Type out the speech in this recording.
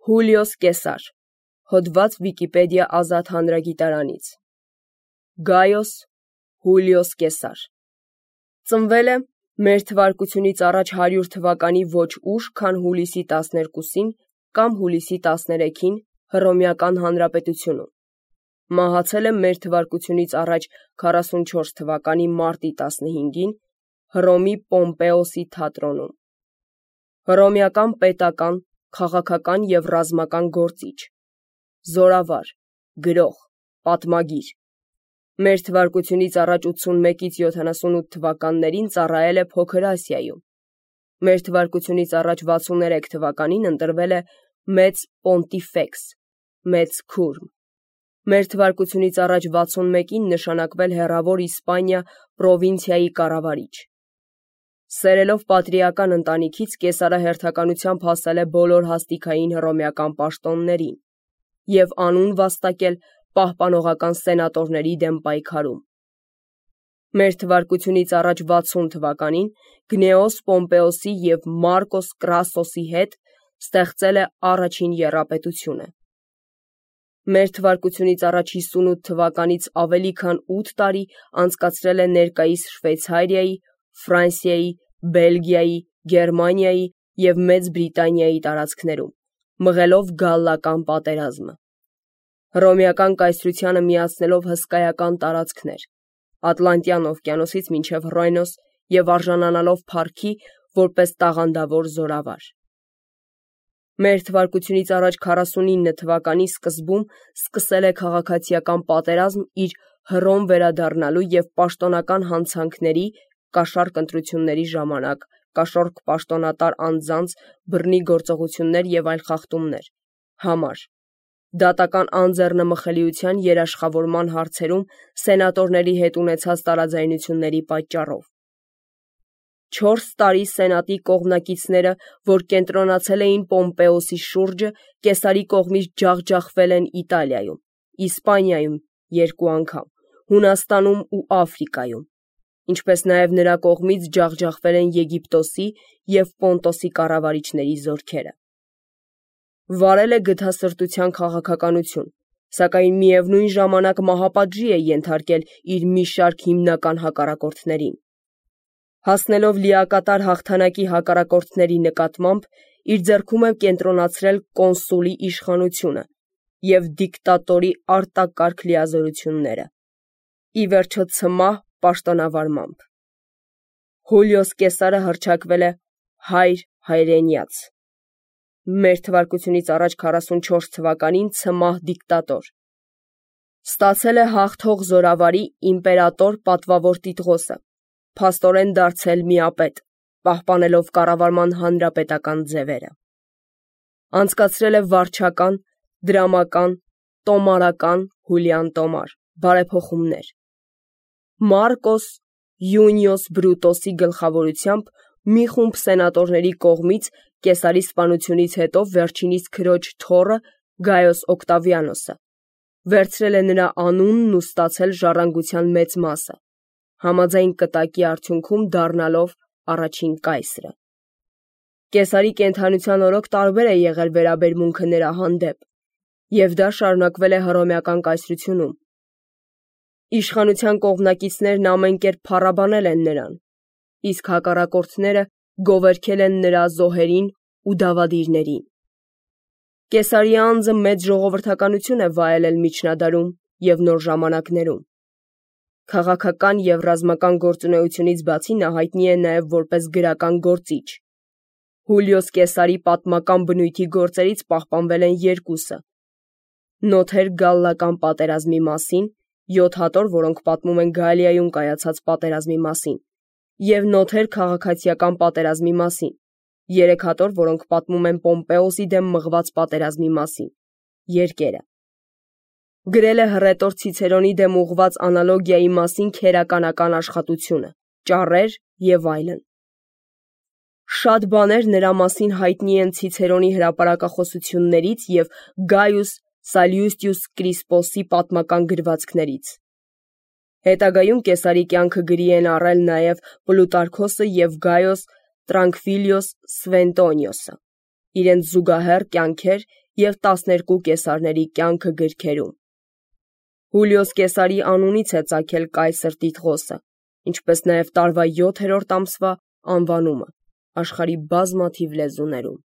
Հուլիոս Կեսար, հոդված Վիկիպեդիա ազատ հանրագիտարանից։ Գայոս Հուլիոս Կեսար ծնվել է մեր թվարկությունից առաջ 100 թվականի ոչ ուշ, քան հուլիսի 12-ին կամ հուլիսի 13-ին Հռոմեական Հանրապետությունում։ Մահացել է մեր թվարկությունից առաջ 44 թվականի մարտի 15-ին Հռոմի Պոմպեոսի թատրոնում։ Հռոմեական պետական, քաղաքական և ռազմական գործիչ, զորավար, գրող, պատմագիր։ Մեր թվարկությունից առաջ 81-ից 78 թվականներին ծառայել է Փոքր Ասիայում։ Մեր թվարկությունից առաջ 63 թվականին ընտրվել է մեծ պոնտիֆեքս, մեծ քուրմ։ Մեր թվարկությունից առաջ 61-ին նշանակվել հեռավոր Իսպանիա պրովինցիայի կառավարիչ։ Սերելով պատրիական ընտանիքից Կեսարը հերթականությամբ հասել է բոլոր հաստիքային հռոմեական պաշտոններին և անուն վաստակել պահպանողական սենատորների դեմ պայքարում։ Մեր թվարկությունից առաջ 60 թվականին Գնեոս Պոմպեոսի և Մարկոս Կրասոսի հետ ստեղծել է առաջին եռապետությունը։ Մեր թվարկությունից առաջ 58 թվականից ավելի քան 8 տարի անցկացրել է ներկայիս Շվեյցարիայի, Ֆրանսիայի, Բելգիայի, Գերմանիայի և Մեծ Բրիտանիայի տարածքներում, մղելով գալլական պատերազմը։ Հռոմեական կայսրությանը միացնելով հսկայական տարածքներ, Ատլանտյան օվկիանոսից մինչև Ռոյնոս և արժանանալով փառքի որպես տաղանդավոր զորավար։ Մեր թվարկությունից առաջ 49 թվականի սկզբում սկսել է քաղաքացիական պատերազմ իր Հռոմ վերադառնալու և պաշտոնական հանցանքների, կաշառք ընտրությունների ժամանակ, կաշառք պաշտոնատար անձանց, բռնի գործողություններ և այլ խախտումներ համար, դատական անձեռնմխելիության երաշխավորման հարցերում սենատորների հետ ունեցած տարաձայնությունների պատճառով։ 4 տարի սենատի կողմնակիցները, որ կենտրոնացել էին Պոմպեոսի շուրջը, Կեսարի կողմից ջախջախվել են Իտալիայում, Իսպանիայում 2 անգամ, Հունաստանում ու Աֆրիկայում, ինչպես նաև նրա կողմից ջախջախվել են Եգիպտոսի և Պոնտոսի կառավարիչների զորքերը։ Վարել է գթասրտության քաղաքականություն, սակայն միևնույն ժամանակ մահապատժի է ենթարկել իր մի շարք հիմնական հակառակորդներին։ Հասնելով լիակատար հաղթանակի հակառակորդների նկատմամբ, իր ձեռքում է կենտրոնացրել կոնսուլի իշխանությունը և դիկտատորի արտակարգ լիազորությունները, ի վերջո ցմահ պաշտոնավարմամբ։ Հուլիոս Կեսարը հռչակվել է հայր հայրենյաց։ Մեր թվարկությունից առաջ 44 թվականին ցմահ դիկտատոր։ Ստացել է հաղթող զորավարի իմպերատոր պատվավոր տիտղոսը, փաստորեն դարձել միապետ, պահպանելով կառավարման հանրապետական ձևերը։ Անցկացրել է վարչական, դրամական, տոմարական, հուլյան տոմար, բարեփոխումներ։ Մարկոս Յունիոս Բրուտոսի գլխավորությամբ մի խումբ սենատորների կողմից Կեսարի սպանությունից հետո վերջինիս քրոջ թոռը Գայոս Օկտավիանոսը վերցրել է նրա անունն ու ստացել ժառանգության մեծ մասը, համաձայն կտակի արդյունքում դառնալով առաջին կայսրը։ Կեսարի կենդանության օրոք տարբեր է եղել վերաբերմունքը նրա հանդեպ, և դա շարունակվել է Հռոմեական կայսրությունում։ Իշխանության կողմնակիցներն ամեն կերպ փառաբանել են նրան, իսկ հակառակորդները գովերգել են նրա զոհերին ու դավադիրներին։ Կեսարի անձը մեծ ժողովրդականություն է վայելել միջնադարում և նոր ժամանակներում։ Քաղաքական և ռազմական գործունեությունից բացի նա հայտնի է նաև որպես գրական գործիչ։ Հուլիոս Կեսարի պատմական բնույթի գործերից պահպանվել են 2-ը. նոթեր գալլական պատերազմի մասին, 7 հատոր, որոնք պատմում են Գալիայում կայացած պատերազմի մասին, և նոթեր քաղաքացիական պատերազմի մասին, 3 հատոր, որոնք պատմում են Պոմպեոսի դեմ մղված պատերազմի մասին, երկերը։ Գրել է հռետոր Ցիցերոնի դեմ ուղղված անալոգիայի մասին քերականական աշխատությունը, ճառեր և այլն։ Շատ բաներ նրա մասին հայտնի են Ցիցերոնի հրապարակախոսություններից և Գայուս Սալյուստիուս Կրիսպոսի պատմական գրվածքներից։ Հետագայում Կեսարի կյանքը գրի են առել նաև Պլուտարքոսը և Գայոս Տրանկվիլիոս Սվենտոնիոսը, իրենց զուգահեռ կյանքեր և 12 կեսարների կյանքը գրքերում։ Հուլիոս Կեսարի անունից է ծագել կայսր Տիտղոսը, ինչպես նաև տարվա 7-րդ ամսվա անվանումը աշխարհի բազմաթիվ լեզուներում։